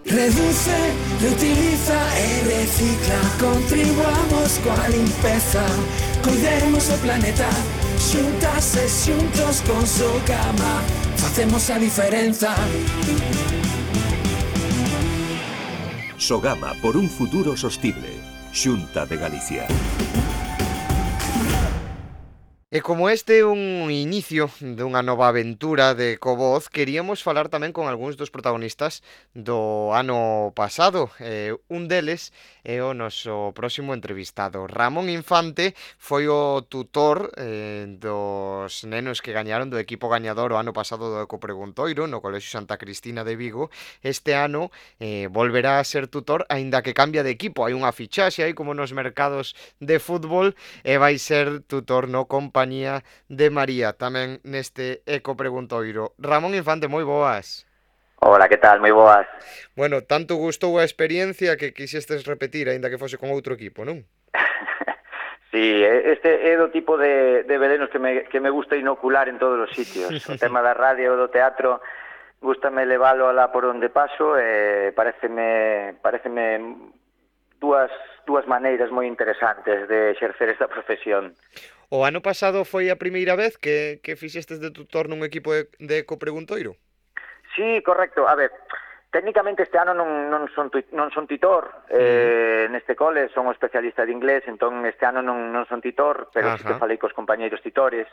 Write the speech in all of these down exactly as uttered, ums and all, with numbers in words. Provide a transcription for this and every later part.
Reduce, reutiliza e recicla. Contribuamos coa limpeza. Cuidemos o planeta. Xuntas e xuntos con Sogama facemos a diferenza. Sogama por un futuro sostible. Xunta de Galicia. E como este é un inicio dunha nova aventura de Covoz, queríamos falar tamén con algúns dos protagonistas do ano pasado. Eh, un deles é o noso próximo entrevistado. Ramón Infante foi o tutor eh, dos nenos que gañaron do equipo gañador o ano pasado do Ecopreguntoiro no Colexio Santa Cristina de Vigo. Este ano eh, volverá a ser tutor, aínda que cambia de equipo. Hai unha fichaxe aí como nos mercados de fútbol e vai ser tutor no compañía de María, tamén neste Ecopreguntoiro. Ramón Infante, moi boas. Hola, que tal? Moi boas. Bueno, tanto gustou a experiencia que quixestes repetir, aínda que fose con outro equipo, non? Sí, este é do tipo de, de venenos que me, que me gusta inocular en todos os sitios. O tema da radio e do teatro, gústame leválo alá por onde paso e pareceme, pareceme dúas, dúas maneiras moi interesantes de exercer esta profesión. O ano pasado foi a primeira vez que, que fixestes de tutor nun equipo de, de Ecopreguntoiro? Sí, correcto. A ver, técnicamente este ano non, non, son, non son titor, eh, mm. neste cole son especialista de inglés, entón este ano non, non son titor, pero sí que falei cos compañeiros titores,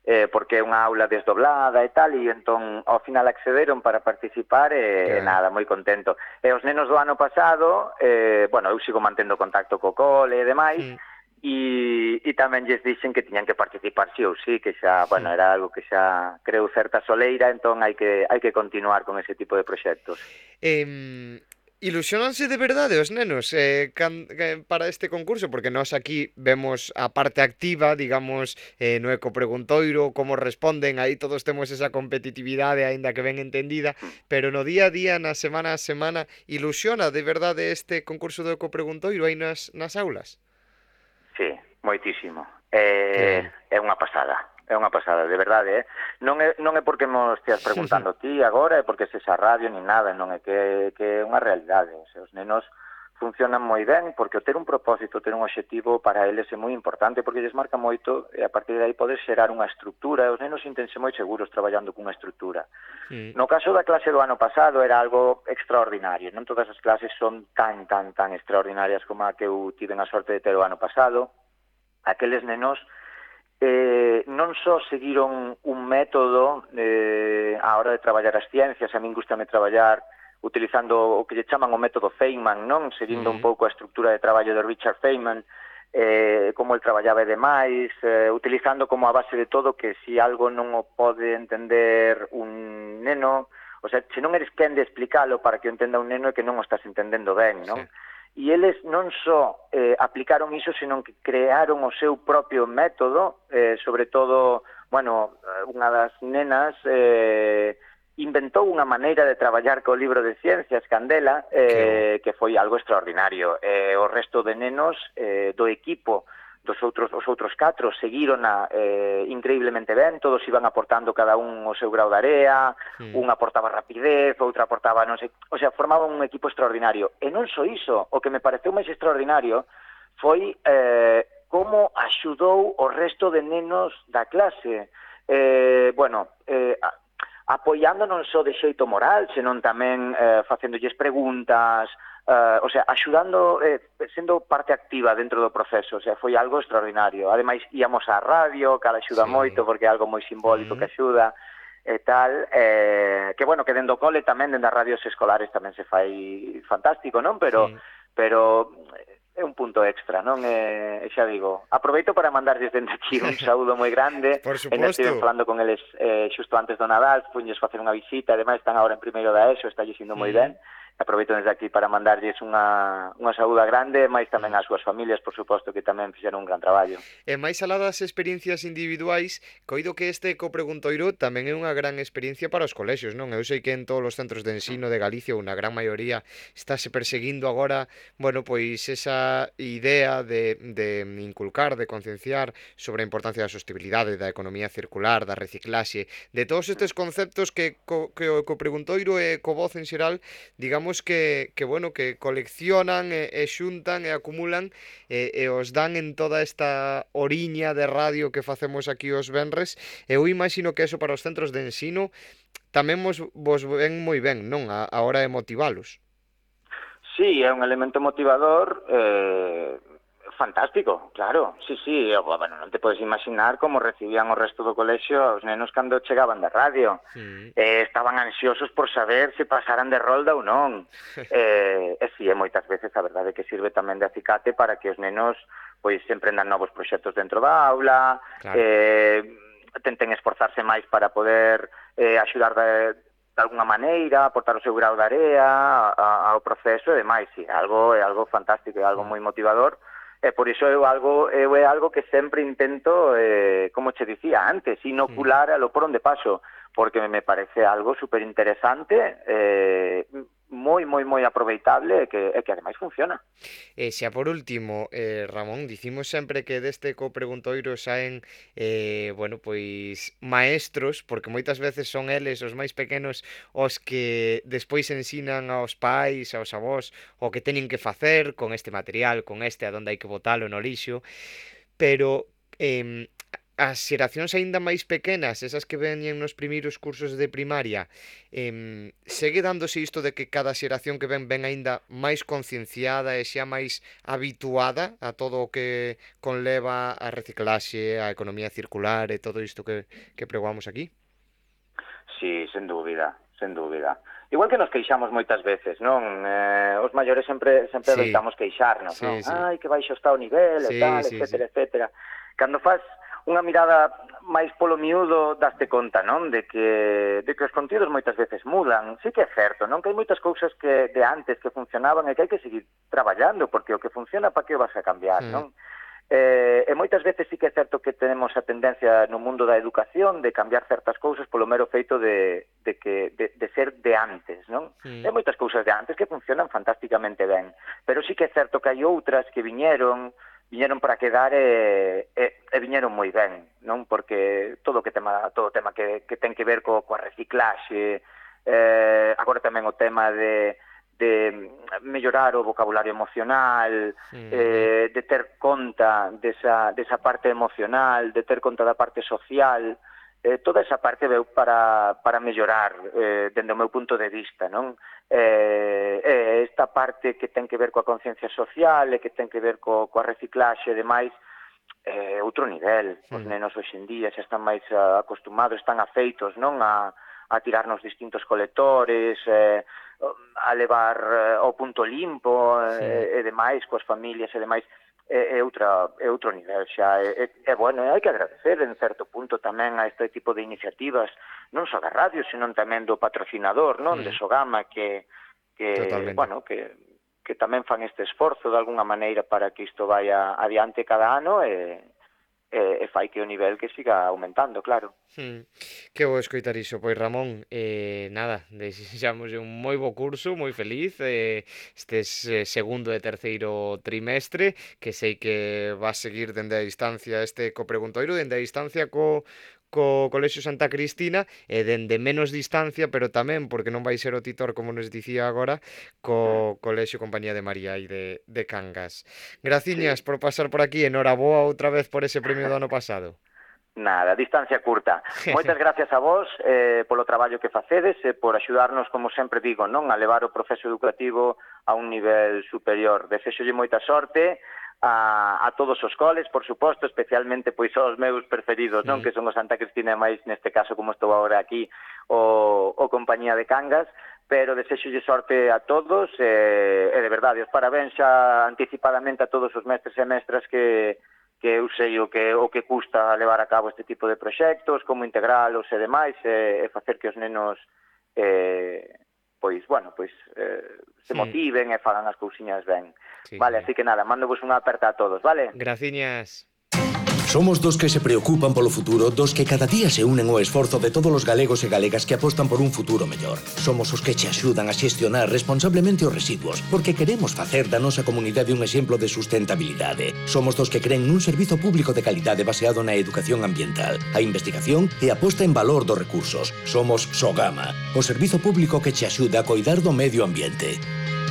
eh, porque é unha aula desdoblada e tal, e entón ao final accederon para participar e yeah. nada, moi contento. E os nenos do ano pasado, eh, bueno, eu sigo mantendo contacto co cole e demais, mm. E, e tamén lles dixen que tiñan que participar sí ou sí, que xa, sí. bueno, era algo que xa creu certa soleira, entón hai que hai que continuar con ese tipo de proxectos. Eh, ilusionanse de verdade os nenos eh, can, eh, para este concurso, porque nós aquí vemos a parte activa, digamos, eh, no Ecopreguntoiro, como responden, aí todos temos esa competitividade, aínda que ben entendida, pero no día a día, na semana a semana, ilusiona de verdade este concurso do Ecopreguntoiro aí nas, nas aulas? Sí, moitísimo. É, é unha pasada, é unha pasada, de verdade, eh? Non é, non é porque me esteas preguntando ti agora, é porque se esa radio ni nada, non é que, que é unha realidade. O sea, os nenos funcionan moi ben, porque o ter un propósito, ter un obxectivo para eles é moi importante, porque lles marca moito, e a partir de aí podes xerar unha estructura, e os nenos sintense moi seguros traballando cunha estructura. Sí. No caso da clase do ano pasado era algo extraordinario, non todas as clases son tan, tan, tan extraordinarias como a que eu tive a sorte de ter o ano pasado. Aqueles nenos eh, non só seguiron un método eh, a hora de traballar as ciencias, a min gustame traballar utilizando o que lle chaman o método Feynman, non? Seguindo mm. un pouco a estructura de traballo de Richard Feynman, eh, como el traballaba e demais, eh, utilizando como a base de todo que se si algo non o pode entender un neno, o sea, se non eres quen de explicalo para que o entenda un neno é que non o estás entendendo ben, non? Sí. E eles non só eh, aplicaron iso, senón que crearon o seu propio método, eh, sobre todo, bueno, unha das nenas eh, inventou unha maneira de traballar co libro de ciencias, Candela, eh, que foi algo extraordinario. Eh, o resto de nenos eh, do equipo dos outros, os outros catro seguírona eh, increíblemente ben, todos iban aportando cada un o seu grau de area, sí. un aportaba rapidez, outra aportaba non sei, o sea, formaban un equipo extraordinario. E non só iso, o que me pareceu máis extraordinario foi eh, como axudou o resto de nenos da clase. Eh, bueno, eh, apoiando non só de xeito moral, senón tamén eh, facéndolles preguntas, Uh, o sea, axudando, eh, sendo parte activa dentro do proceso, o sea, foi algo extraordinario. Ademais, íamos á radio, que axuda sí. moito, porque é algo moi simbólico mm. que axuda, e tal, eh, que bueno, que dentro do cole tamén, dentro das radios escolares tamén se fai fantástico, non? Pero, sí. pero é un punto extra, non? E, xa digo, aproveito para mandarlles dende aquí un saúdo moi grande. Por suposto. Ainda estive falando con eles eh, xusto antes do Nadal, fuñes facer unha visita, ademais están agora en primeiro da ESO, está indo moi mm. ben. Aproveito desde aquí para mandarlles unha, unha saúda grande, máis tamén ás súas familias, por suposto, que tamén fixeron un gran traballo. E máis alá das experiencias individuais, coido que este Ecopreguntoiro tamén é unha gran experiencia para os colexios, non? Eu sei que en todos os centros de ensino de Galicia, unha gran maioría, estáse perseguindo agora, bueno, pois esa idea de, de inculcar, de concienciar sobre a importancia da sostenibilidade, da economía circular, da reciclaxe, de todos estes conceptos que, que o Ecopreguntoiro e Covoz en xeral, digamos, vemos que, que bueno, que coleccionan e, e xuntan e acumulan e, e os dan en toda esta oriña de radio que facemos aquí os venres. Eu imagino que eso para os centros de ensino tamén vos, vos ven moi ben, non? A, a hora de motivalos. Sí, é un elemento motivador eh, fantástico, claro. Sí, sí, bueno, non te podes imaginar como recibían o resto do colexio os nenos cando chegaban da radio. Sí. Eh, estaban ansiosos por saber se pasaran de rolda ou non. eh, e si, e moitas veces a verdade que sirve tamén de acicate para que os nenos pois sempre emprendan novos proxectos dentro da aula, claro. eh, tenten esforzarse máis para poder eh, axudar de, de alguna maneira, aportar o seu grau de area ao proceso e demais. Sí, é algo, é algo fantástico, é algo moi motivador. E por iso é algo, é algo que sempre intento, eh, como che dicía antes, inocular a lo por onde paso, porque me parece algo super interesante, eh, moi, moi, moi aproveitable e que, e que ademais funciona. E xa por último, eh, Ramón, dicimos sempre que deste copreguntoiro saen eh, bueno, pois maestros, porque moitas veces son eles os máis pequenos os que despois ensinan aos pais, aos avós, o que teñen que facer con este material, con este, a donde hai que botalo no lixo, pero eh, as xeracións aínda máis pequenas, esas que veñen nos primeiros cursos de primaria, eh, segue dándose isto de que cada xeración que ven ven aínda máis concienciada e xa máis habituada a todo o que conleva a reciclaxe, a economía circular e todo isto que, que pregoamos aquí? Sí, sen dúbida, sen dúbida. Igual que nos queixamos moitas veces, non? Eh, os maiores sempre sempre sí. Adoitamos queixarnos, sí, non? Sí. Ai, que baixo está o nivel, sí, e tal, sí, etcétera, sí. etcétera. Cando faz unha mirada máis polo miúdo daste conta, non? De que, de que os contidos moitas veces mudan. Sí que é certo, non? Que hai moitas cousas que de antes que funcionaban e que hai que seguir traballando, porque o que funciona, para que o vas a cambiar, sí. non? Eh, e moitas veces sí que é certo que tenemos a tendencia no mundo da educación de cambiar certas cousas polo mero feito de, de, que, de, de ser de antes, non? Sí. Hai moitas cousas de antes que funcionan fantásticamente ben, pero sí que é certo que hai outras que viñeron viñeron para quedar e, e, e viñeron moi ben, non? Porque todo o que tema todo o tema que, que ten que ver co, coa reciclaxe, eh, agora tamén o tema de, de mellorar o vocabulario emocional, sí. eh, de ter conta desa, desa parte emocional, de ter conta da parte social, eh, toda esa parte veu para, para mellorar eh, dende o meu punto de vista, non? Eh, eh, esta parte que ten que ver coa conciencia social e que ten que ver co, coa reciclaxe e demais, eh, outro nivel. Os mm. nenos hoxe en día xa están máis uh, acostumados, están afeitos, non? A, a tirar nos distintos colectores, eh, a levar eh, ao punto limpo sí. eh, e demais, coas familias e demais. É, é, outra, é outro nivel xa, é, é, é bueno, hai que agradecer en certo punto tamén a este tipo de iniciativas, non só da radio, senón tamén do patrocinador, non, mm. de Sogama, que, que bueno, que, que tamén fan este esforzo de alguna maneira para que isto vaya adiante cada ano e, e, e fai que o nivel que siga aumentando, claro. Hmm. Que bo escoitar iso, pois Ramón, eh, nada, desexamos un moi bo curso, moi feliz, eh, estes eh, segundo e terceiro trimestre, que sei que vas seguir dende a distancia este co preguntoiro, dende a distancia co co Colexio Santa Cristina e dende menos distancia, pero tamén, porque non vai ser o titor, como nos dicía agora, co Colexio Compañía de María e de, de Cangas. Graciñas sí. por pasar por aquí, enhoraboa outra vez por ese premio do ano pasado. Nada, distancia curta. Moitas gracias a vos eh, polo traballo que facedes e por axudarnos, como sempre digo, non, a levar o proceso educativo a un nivel superior. Desexolle moita sorte a, a todos os coles, por suposto, especialmente pois aos meus preferidos, non, mm. que son o Santa Cristina e máis neste caso, como estou agora aquí, o, o Compañía de Cangas, pero desexolle sorte a todos e, e de verdade, os parabéns xa anticipadamente a todos os mestres e mestras que que eu sei o que o que custa levar a cabo este tipo de proxectos, como integralos e demais, e, e facer que os nenos eh, pois, bueno, pois eh, se sí. motiven e fagan as cousiñas ben. Sí, vale, sí. Así que nada, mando vos unha aperta a todos, vale? Graciñas. Somos dos que se preocupan polo futuro, dos que cada día se unen ao esforzo de todos os galegos e galegas que apostan por un futuro mellor. Somos os que che axudan a xestionar responsablemente os residuos, porque queremos facer da nosa comunidade un exemplo de sustentabilidade. Somos dos que creen nun servizo público de calidade baseado na educación ambiental, a investigación e a posta en valor dos recursos. Somos Sogama, o servizo público que che axuda a coidar do medio ambiente.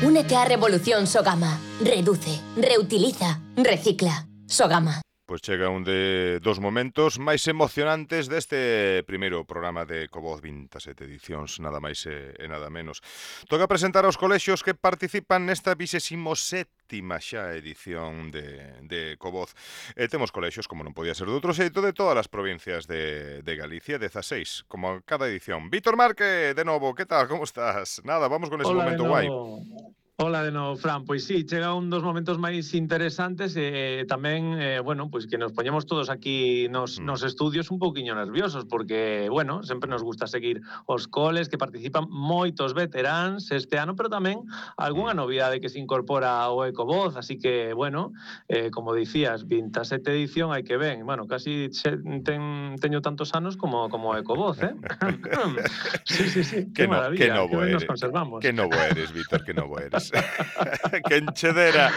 Únete á revolución Sogama. Reduce, reutiliza, recicla. Sogama. Pois chega un de dos momentos máis emocionantes deste primeiro programa de Ecovoz, vinte e sete edicións, nada máis e, e nada menos. Toca presentar aos colexios que participan nesta vixésimo sétima xa edición de, de Ecovoz. E temos colexios, como non podía ser de outro xeito, de todas as provincias de, de Galicia, dezaseis, como cada edición. Víctor Marque, de novo, que tal, como estás? Nada, vamos con ese Hola, momento guai. Hola de novo, Fran. Pois sí, chega un dos momentos máis interesantes e eh, tamén, eh, bueno, pois que nos poñemos todos aquí nos, mm. nos estudios un pouquiño nerviosos porque, bueno, sempre nos gusta seguir os coles que participan moitos veteráns este ano, pero tamén algunha novidade que se incorpora ao Ecovoz, así que, bueno, eh, como dicías, vinte e sete edición hai que ven, bueno, casi ten, teño tantos anos como como Ecovoz, eh? sí, sí, sí, que, que no, maravilla, que novo que eres, nos conservamos. Que novo eres, Víctor, que novo eres. que enchedera,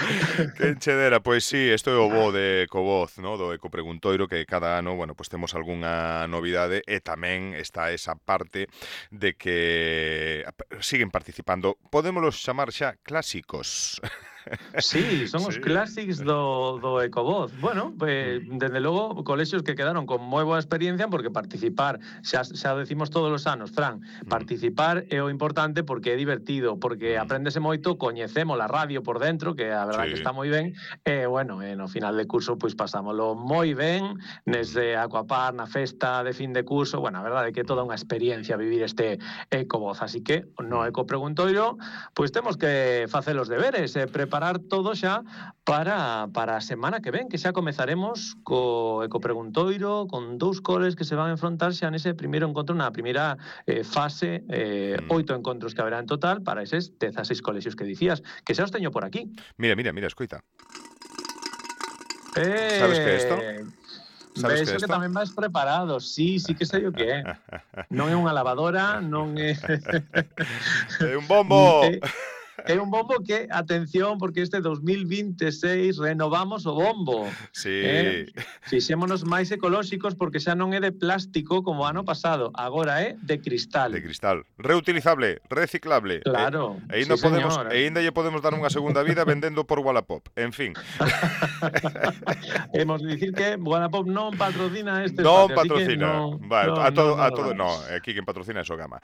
que enchedera. Pois sí, isto é o bo de Ecovoz, no? Do Ecopreguntoiro, que cada ano, bueno, pues temos algunha novidade e tamén está esa parte de que siguen participando, podémolos chamar xa clásicos. Sí, son os sí. clásicos do, do Ecovoz. Bueno, pues, desde logo, colexios que quedaron con moi boa experiencia porque participar, xa, xa decimos todos os anos, Fran, participar é o importante porque é divertido, porque apréndese moito, coñecemos a radio por dentro, que a verdade sí. que está moi ben, e, bueno, e no final de curso, pois pues, pasámoslo moi ben, nese Aquapar, na festa de fin de curso, bueno, a verdade é que é toda unha experiencia vivir este Ecovoz, así que no Ecopreguntoiro, pois pues, temos que facer os deberes, e preparar todo xa para, para a semana que ven, que xa comezaremos co Ecopreguntoiro, con dous coles que se van a enfrontar xa nese primeiro encontro, na primeira eh, fase, eh, oito encontros que haberá en total para eses dezaseis colexios que dicías, que xa os teño por aquí. Mira, mira, mira, escoita. Eh... Sabes que é isto? Sabes que, que tamén vais preparados, sí, sí que sei o que é. Non é unha lavadora, non é... É un bombo! É... É un bombo que, atención, porque este dos mil vinte e seis renovamos o bombo. Sí. Eh? Fixémonos máis ecolóxicos porque xa non é de plástico como ano pasado, agora é de cristal. De cristal. Reutilizable, reciclable. Claro, e, e ainda sí, podemos, señor. e ainda lle podemos dar unha segunda vida vendendo por Wallapop. En fin. Hemos de dicir que Wallapop non patrocina este non espacio. patrocina. Non patrocina. Vale, no, a todo, no, no, a todo, no, no, aquí quen patrocina é Sogama.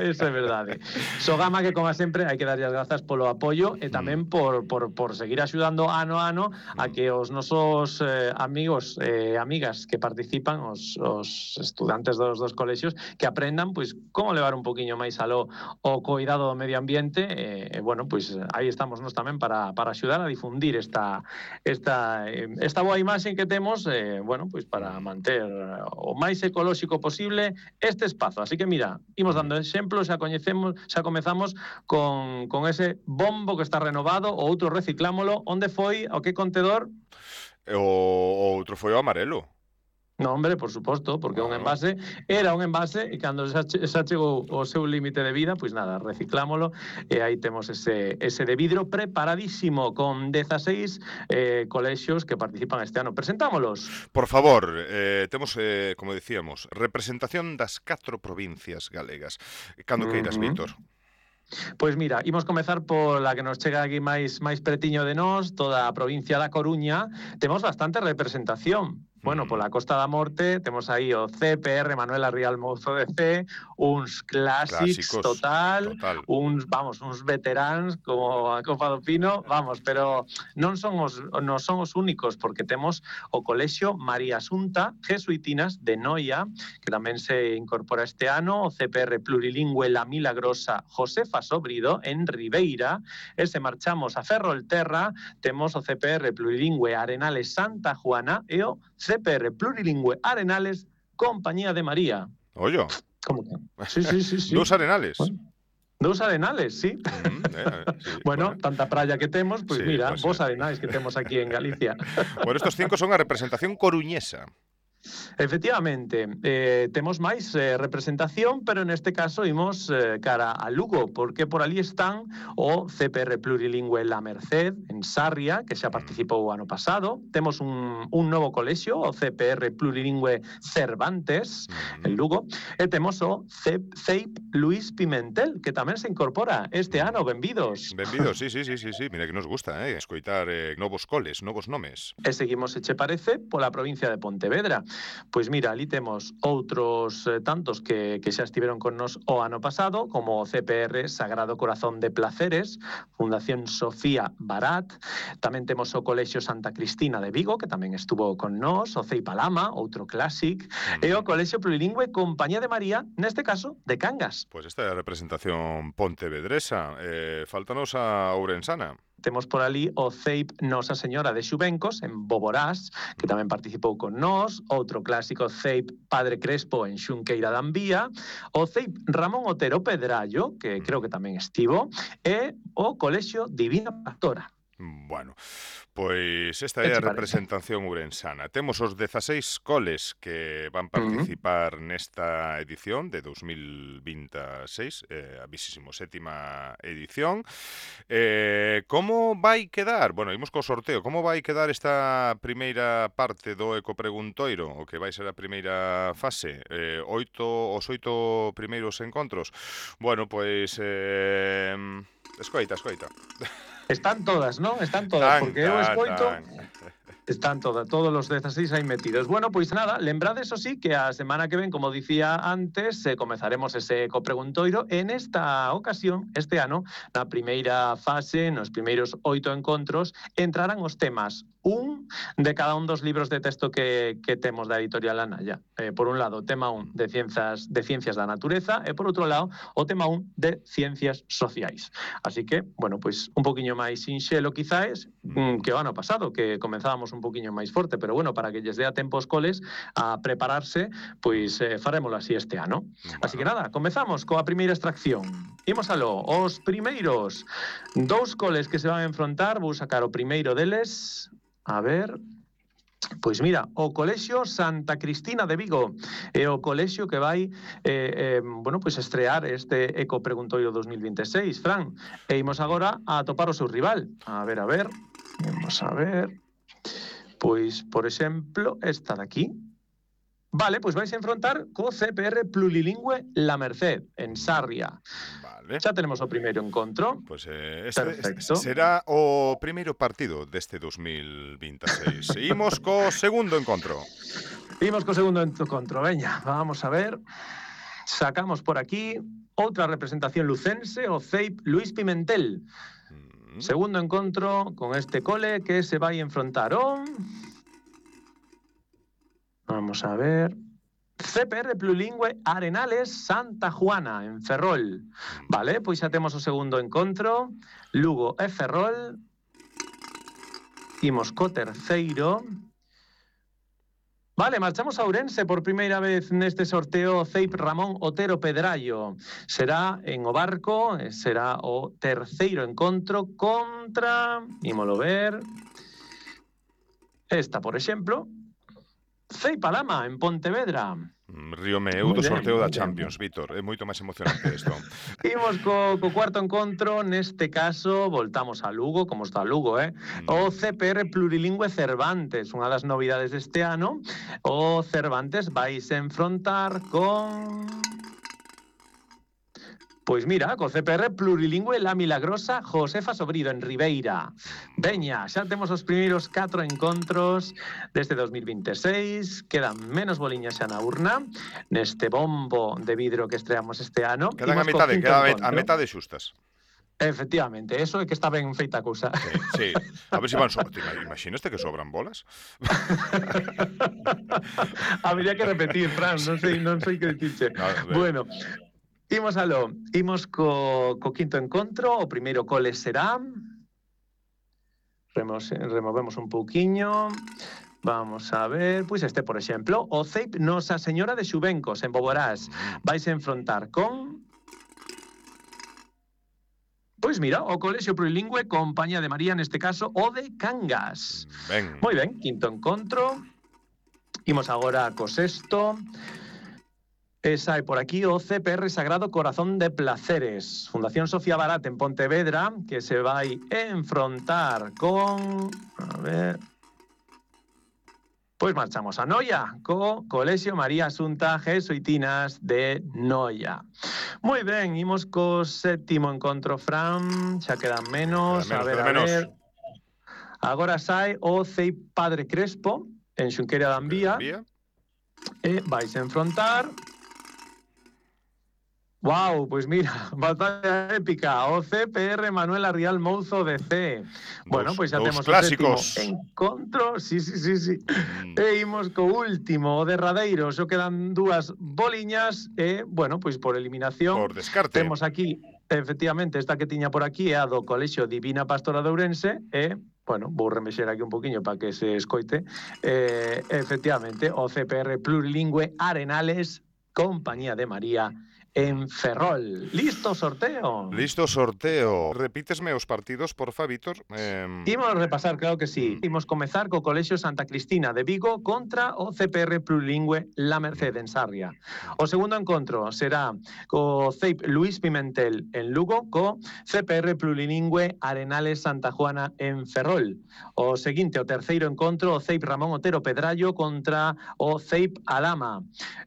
Eso é verdade. Sogama que, como sempre, hai que darlle as grazas polo apoio e tamén por, por, por seguir axudando ano a ano a que os nosos eh, amigos e eh, amigas que participan, os, os estudantes dos dos colexios, que aprendan pois como levar un poquinho máis aló o cuidado do medio ambiente e, eh, bueno, pois aí estamos nós tamén para, para axudar a difundir esta, esta, esta boa imaxe que temos, eh, bueno, pois para manter o máis ecolóxico posible este espazo. Así que mira, imos dando exemplos, xa coñecemos, xa comezamos con, con ese bombo que está renovado, o outro reciclámolo, onde foi, o que contedor? O, o outro foi o amarelo. No, hombre, por suposto, porque un envase era un envase e cando xa, xa chegou o seu límite de vida, pois nada, reciclámolo e aí temos ese, ese de vidro preparadísimo con dezaseis eh, colexios que participan este ano. Presentámolos. Por favor, eh, temos, eh, como decíamos, representación das catro provincias galegas. Cando queiras, uh-huh. Víctor. Pois mira, imos comezar pola que nos chega aquí máis máis pretiño de nós, toda a provincia da Coruña. Temos bastante representación. Bueno, pola Costa da Morte temos aí o C P R Manuela Rial Mouzo de C, uns clásicos, clásicos total, total, uns, vamos, uns veteráns como a Copa do Pino, vamos, pero non son os non son os únicos, porque temos o Colexio María Asunta Jesuitinas de Noia, que tamén se incorpora este ano, o C P R Plurilingüe La Milagrosa Josefa Sobrido en Ribeira, e se marchamos a Ferrolterra, temos o C P R Plurilingüe Arenales Santa Juana e o C P R Plurilingüe Arenales Compañía de María. Ollo. ¿Cómo que? Sí, sí, sí, sí. Dos Arenales. Bueno. Dous Arenales, sí. Mm, eh, sí bueno, bueno, tanta praia que temos, pois sí, mira, pues, vos eh. Arenais que temos aquí en Galicia. Bueno, estos cinco son a representación coruñesa. Efectivamente, eh, temos máis eh, representación, pero neste caso imos eh, cara a Lugo, porque por ali están o C P R Plurilingüe La Merced, en Sarria, que xa participou o ano pasado. Temos un, un novo colexio, o C P R Plurilingüe Cervantes, Mm. en Lugo, e temos o C E I P Luis Pimentel, que tamén se incorpora este ano. Benvidos. Benvidos, sí, sí, sí, sí, sí. Mira que nos gusta, eh, escoitar eh, novos coles, novos nomes. E seguimos, se che parece, pola provincia de Pontevedra. Pois mira, ali temos outros eh, tantos que, que xa estiveron con nos o ano pasado, como o C P R Sagrado Corazón de Placeres, Fundación Sofía Barat, tamén temos o Colexio Santa Cristina de Vigo, que tamén estuvo con nos, o C E I P Alama, outro clásic, Mm. e o Colexio Plurilingüe Compañía de María, neste caso, de Cangas. Pois esta é a representación pontevedresa. Eh, faltanos a Ourensana. Temos por ali o C E I P Nosa Señora de Xubencos, en Boborás, que tamén participou con nós, outro clásico C E I P Padre Crespo en Xunqueira da Ambía, o C E I P Ramón Otero Pedrallo, que creo que tamén estivo, e o Colexio Divina Pastora. Bueno, pois esta é a representación ourensana. Temos os dezaseis coles que van participar uh -huh. nesta edición de dos mil vinte e seis, eh, a vinte e sétima edición. Eh, como vai quedar? Bueno, imos co sorteo. Como vai quedar esta primeira parte do Ecopreguntoiro, o que vai ser a primeira fase? Eh, oito, os oito primeiros encontros? Bueno, pois... Eh, escoita, escoita. Están todas, non? Están todas, porque eu escoito... Están todas, todos os dezaseis aí metidos. Bueno, pois nada, lembrade, eso sí, que a semana que ven, como dicía antes, eh, comezaremos ese Ecopreguntoiro. En esta ocasión, este ano, na primeira fase, nos primeiros oito encontros, entrarán os temas un de cada un dos libros de texto que, que temos da editorial Anaya. Eh, por un lado, o tema un de ciencias, de ciencias da natureza, e por outro lado, o tema un de ciencias sociais. Así que, bueno, pois un poquinho máis sinxelo, quizáes, que o ano pasado, que comenzábamos un poquinho máis forte, pero bueno, para que lles dé a tempo os coles a prepararse, pois eh, farémolo así este ano. Así que nada, comezamos coa primeira extracción. Imos aló, os primeiros dous coles que se van a enfrontar, vou sacar o primeiro deles, a ver... Pois mira, o Colexio Santa Cristina de Vigo é o colexio que vai eh, eh, bueno, pois estrear este Ecopreguntoiro dos mil vinte e seis, Fran. E imos agora a atopar o seu rival. A ver, a ver, vamos a ver... Pois, por exemplo, esta de aquí. Vale, pois vais a enfrontar co C P R Plurilingüe La Merced, en Sarria. Vale. Xa tenemos o primeiro encontro. Pois eh, este, Perfecto. este será o primeiro partido deste dos mil vinte e seis. Imos co segundo encontro. Imos co segundo encontro, veña, vamos a ver. Sacamos por aquí outra representación lucense, o C E I P Luis Pimentel. Mm. Segundo encontro con este cole que se vai enfrontar o... Vamos a ver... C P R Plurilingüe Arenales Santa Juana, en Ferrol. Vale, pois xa temos o segundo encontro. Lugo e Ferrol. Imos co terceiro. Vale, marchamos a Ourense por primeira vez neste sorteo. C E I P Ramón Otero Pedrallo. Será en o Barco, será o terceiro encontro contra... Ímolo ver... Esta, por exemplo... C E I P Alama, en Pontevedra. Río meu do sorteo da Champions, Víctor. É moito máis emocionante isto. Imos co, co cuarto encontro, neste caso, voltamos a Lugo, como está Lugo, eh? Mm. O C P R Plurilingüe Cervantes, unha das novidades deste ano. O Cervantes vais a enfrontar con... Pois mira, co C P R Plurilingüe La Milagrosa Josefa Sobrido, en Ribeira. Veña, xa temos os primeiros catro encontros deste dos mil vinte e seis. Quedan menos boliñas xa na urna, neste bombo de vidro que estreamos este ano. Quedan a metade, queda a metade xustas. Efectivamente, eso é que está ben feita a cousa. Sí, sí. A ver se van sobran. Imaginaste que sobran bolas? Habría que repetir, Fran, non sei, non sei que dicirche. No, bueno, imos aló, imos co, co quinto encontro. O primeiro cole será... Remos, removemos un pouquiño... Vamos a ver, pois este, por exemplo, o C E I P Nosa Señora de Xubencos, en Boborás. Vais a enfrontar con... Pois mira, o Colexio Plurilingüe Compañía de María, neste caso, o de Cangas. Ben. Moi ben, quinto encontro. Imos agora co sexto. E sai por aquí o C P R Sagrado Corazón de Placeres, Fundación Sofía Barat en Pontevedra, que se vai enfrontar con... A ver... Pois marchamos a Noia, co Colexio María Asunta Jesuitinas de Noia. Moi ben, imos co séptimo encontro, Fran, xa quedan menos, Queda menos, a ver, queda a menos. ver... Agora sai o C E I Padre Crespo, en Xunqueira da Ambía, Vía. e vais enfrontar... Wow, pois mira, batalla épica, o C P R Manuel Arrial Mouzo de C. Bueno, Dous- pois xa dous temos clásicos. o sétimo encontro, sí, sí, sí, sí. Mm. E imos co último, o derradeiro, xo quedan dúas boliñas e, bueno, pois por eliminación Por descarte. temos aquí, efectivamente, esta que tiña por aquí é a do Colexio Divina Pastora de Ourense e, bueno, vou remexer aquí un poquinho para que se escoite, eh, efectivamente, o C P R Plurilingüe Arenales, Compañía de María, en Ferrol. Listo, sorteo? Listo, sorteo. Repítesme os partidos, porfa, Víctor. Eh... Imos repasar, claro que sí. Imos comezar co Colexio Santa Cristina de Vigo contra o C P R Plurilingüe La Merced en Sarria. O segundo encontro será co C E I P Luis Pimentel en Lugo co C P R Plurilingüe Arenales Santa Juana en Ferrol. O seguinte, o terceiro encontro, o C E I P Ramón Otero Pedrallo contra o C E I P Alama.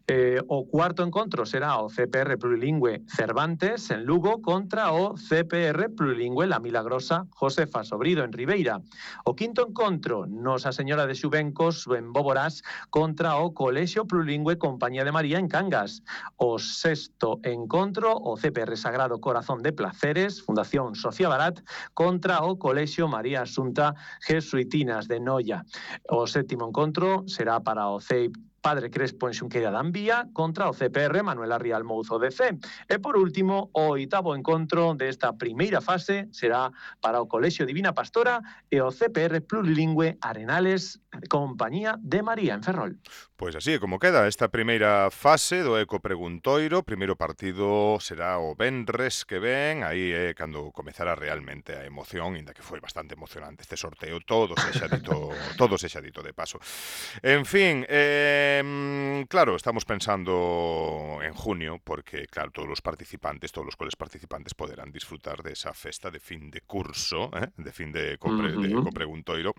Eh, o cuarto encontro será o C P R Plurilingüe Cervantes en Lugo contra o C P R Plurilingüe La Milagrosa Josefa Sobrido en Ribeira. O quinto encontro, Nosa Señora de Xubencos en Boborás contra o Colexio Plurilingüe Compañía de María en Cangas. O sexto encontro, o C P R Sagrado Corazón de Placeres, Fundación Sofía Barat, contra o Colexio María Asunta Jesuitinas de Noia. O sétimo encontro será para o C E I P Padre Crespo en Xunqueira da Ambía contra o C P R Manuel Arrial Mouzo de C. E por último, o oitavo encontro desta primeira fase será para o Colexio Divina Pastora e o C P R Plurilingüe Arenales Compañía de María en Ferrol. Pois así é como queda esta primeira fase do Eco Preguntoiro. Primeiro partido será o venres que ven, aí é cando comezará realmente a emoción, inda que foi bastante emocionante este sorteo, todo sexa dito, todo sexa dito de paso. En fin, eh, claro, estamos pensando en junio, porque claro, todos os participantes, todos os coles participantes poderán disfrutar desa festa de fin de curso, eh, de fin de, compre, uh -huh. de Eco Preguntoiro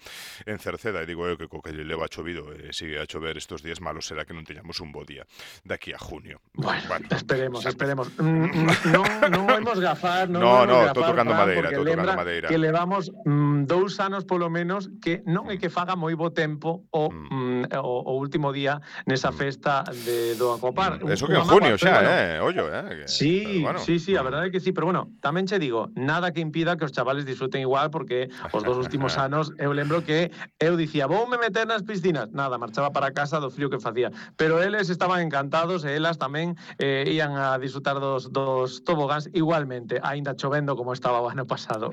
en Cerceda, e digo eu que co que leva chovido e eh, sigue a chover estos días, malo será que non teñamos un bo día daqui a junio. Bueno, bueno esperemos, sabe? esperemos. Non non vamos gafar, non no, vamos no, gafar, estou tocando Fran, madeira, estou tocando lembra madeira. Que levamos mm, dous anos polo menos que non é que faga moi bo tempo o, mm. mm, o, o último día nesa festa de do Acopar. Mm. Eso que en junio xa, bueno, eh, ollo, eh. Que, sí, bueno. sí, sí, a verdade é que sí, pero bueno, tamén che digo, nada que impida que os chavales disfruten igual, porque os dos últimos anos eu lembro que eu dicía, voume meter nas piscinas, nada, marchaba para casa do frío que facía, pero eles estaban encantados e elas tamén eh, ian a disfrutar dos, dos tobogáns igualmente, aínda chovendo como estaba o ano pasado.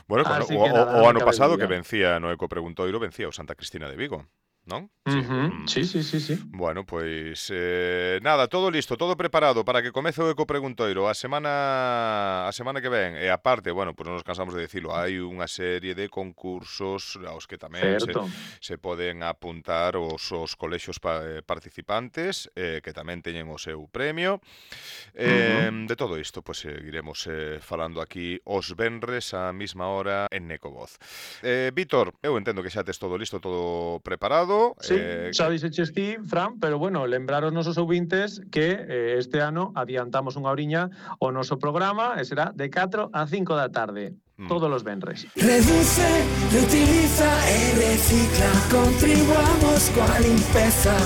Bueno, cuando, o, nada, o, o ano pasado que vencía no Eco Preguntoiro, vencía o Santa Cristina de Vigo, non? Sí. Uh-huh. sí, sí, sí, sí. Bueno, pois eh, nada, todo listo, todo preparado para que comece o Eco Preguntoiro a semana a semana que ven. E aparte, bueno, pois non nos cansamos de dicilo, hai unha serie de concursos aos que tamén se, se poden apuntar os, os colexios pa, eh, participantes, eh, que tamén teñen o seu premio. Eh, uh-huh. De todo isto, pois seguiremos eh, falando aquí os venres á mesma hora en Ecovoz. Eh, Víctor, eu entendo que xa tes todo listo, todo preparado. Sí, eh, xa dixeches ti, Fran, pero bueno, lembrar aos nosos ouvintes que eh, este ano adiantamos unha oriña o noso programa e será de catro a cinco da tarde, mm. todos os venres. Reduce, reutiliza e recicla, contribuamos coa limpeza,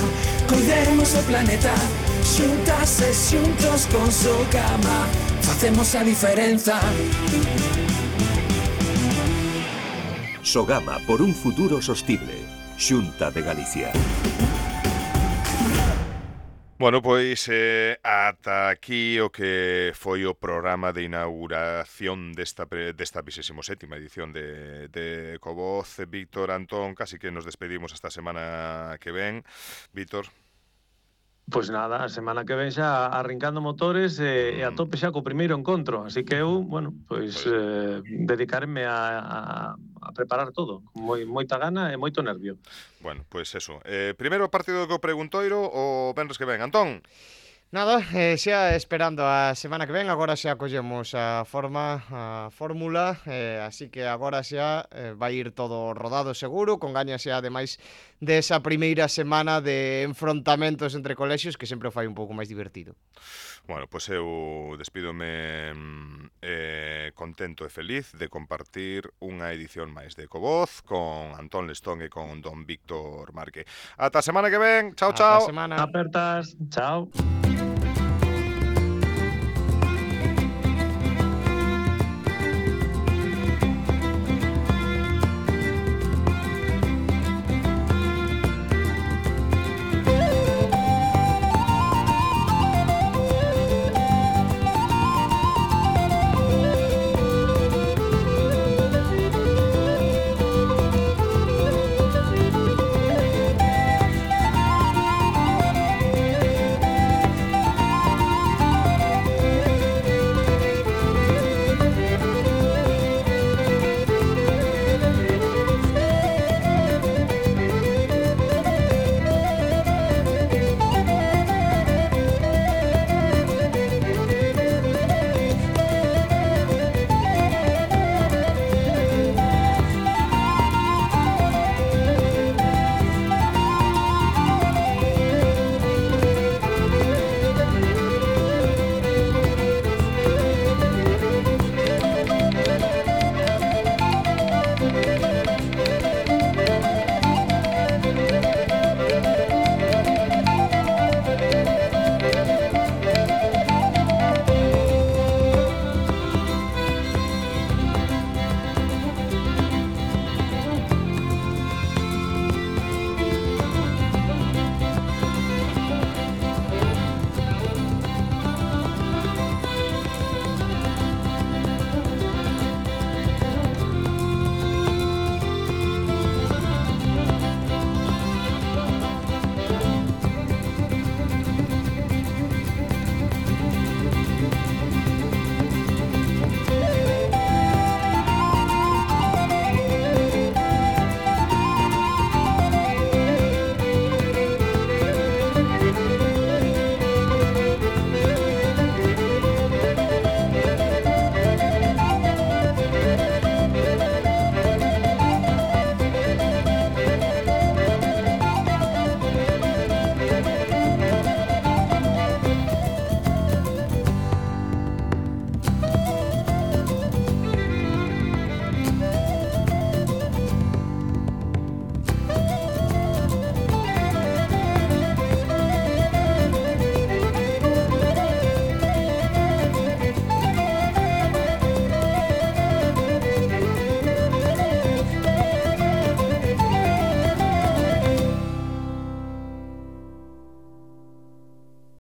cuidemos o planeta, xuntas e xuntos con Sogama, facemos a diferenza. Sogama por un futuro sostible. Xunta de Galicia. Bueno, pois eh, ata aquí o que foi o programa de inauguración desta, desta vixésima sétima edición de, de Ecovoz. Víctor, Antón, casi que nos despedimos esta semana que ven. Víctor. Pois nada, a semana que ven xa arrancando motores e, e a tope xa co primeiro encontro, así que eu, bueno, pois eh, dedicarme a, a, a preparar todo, con moi, moita gana e moito nervio. Bueno, pois eso. Eh, primeiro partido do Preguntoiro o venres que ven. Antón? Nada, eh, xa esperando a semana que ven, agora xa collemos a forma, a fórmula, eh, así que agora xa eh, vai ir todo rodado seguro, con gañas xa ademais desa primeira semana de enfrontamentos entre colexios que sempre o fai un pouco máis divertido. Bueno, pois eu despídome eh, contento e feliz de compartir unha edición máis de Ecovoz con Antón Lestón e con don Víctor Marque. Ata a semana que ven, chao, chao. Ata a semana. Apertas, chao.